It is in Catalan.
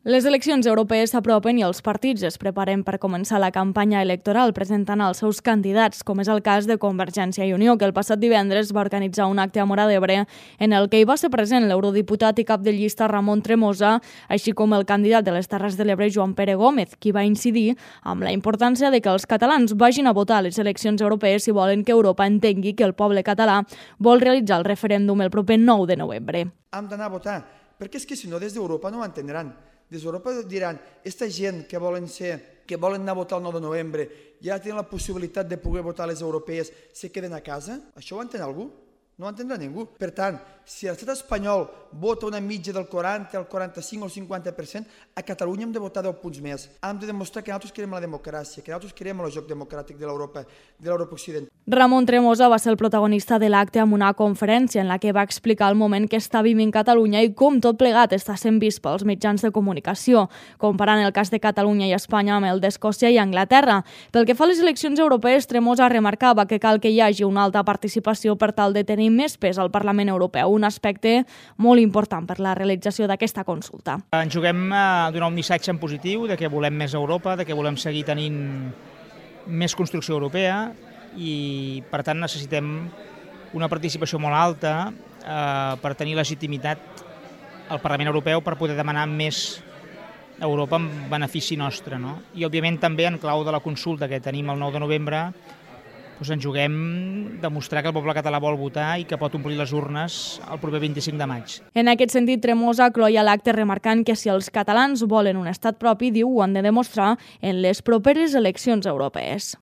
Les eleccions europees s'apropen i els partits es preparen per començar la campanya electoral presentant els seus candidats, com és el cas de Convergència i Unió, que el passat divendres va organitzar un acte a Móra d'Ebre en el que hi va ser present l'eurodiputat i cap de llista Ramon Tremosa, així com el candidat de les Terres de l'Ebre Joan Pere Gómez, qui va incidir amb la importància de que els catalans vagin a votar a les eleccions europees si volen que Europa entengui que el poble català vol realitzar el referèndum el proper 9 de novembre. Hem d'anar a votar, perquè és que si no des d'Europa no ho entendran. Des d'Europa diran, aquesta gent que volen anar a votar el 9 de novembre i ja tenen la possibilitat de poder votar a les europees, se queden a casa? Això ho entén algú? No ho entendrà ningú. Per tant, si l'estat espanyol vota una mitja del 40, el 45 o el 50%, a Catalunya hem de votar 10 punts més. Hem de demostrar que nosaltres querem la democràcia, que nosaltres querem el joc democràtic de l'Europa occidental. Ramon Tremosa va ser el protagonista de l'acte amb una conferència en la que va explicar el moment que està vivint Catalunya i com tot plegat està sent vist pels mitjans de comunicació, comparant el cas de Catalunya i Espanya amb el d'Escòcia i Anglaterra. Pel que fa a les eleccions europees, Tremosa remarcava que cal que hi hagi una alta participació per tal de tenir més pes al Parlament Europeu, un aspecte molt important per la realització d'aquesta consulta. Ens juguem a donar un missatge en positiu de que volem més Europa, de que volem seguir tenint més construcció europea i, per tant, necessitem una participació molt alta per tenir legitimitat al Parlament Europeu per poder demanar més Europa en benefici nostre, no? I, òbviament, també en clau de la consulta que tenim el 9 de novembre, ens juguem demostrar que el poble català vol votar i que pot omplir les urnes el proper 25 de maig. En aquest sentit, Tremosa cloïa l'acte remarcant que si els catalans volen un estat propi, diu, ho han de demostrar en les properes eleccions europees.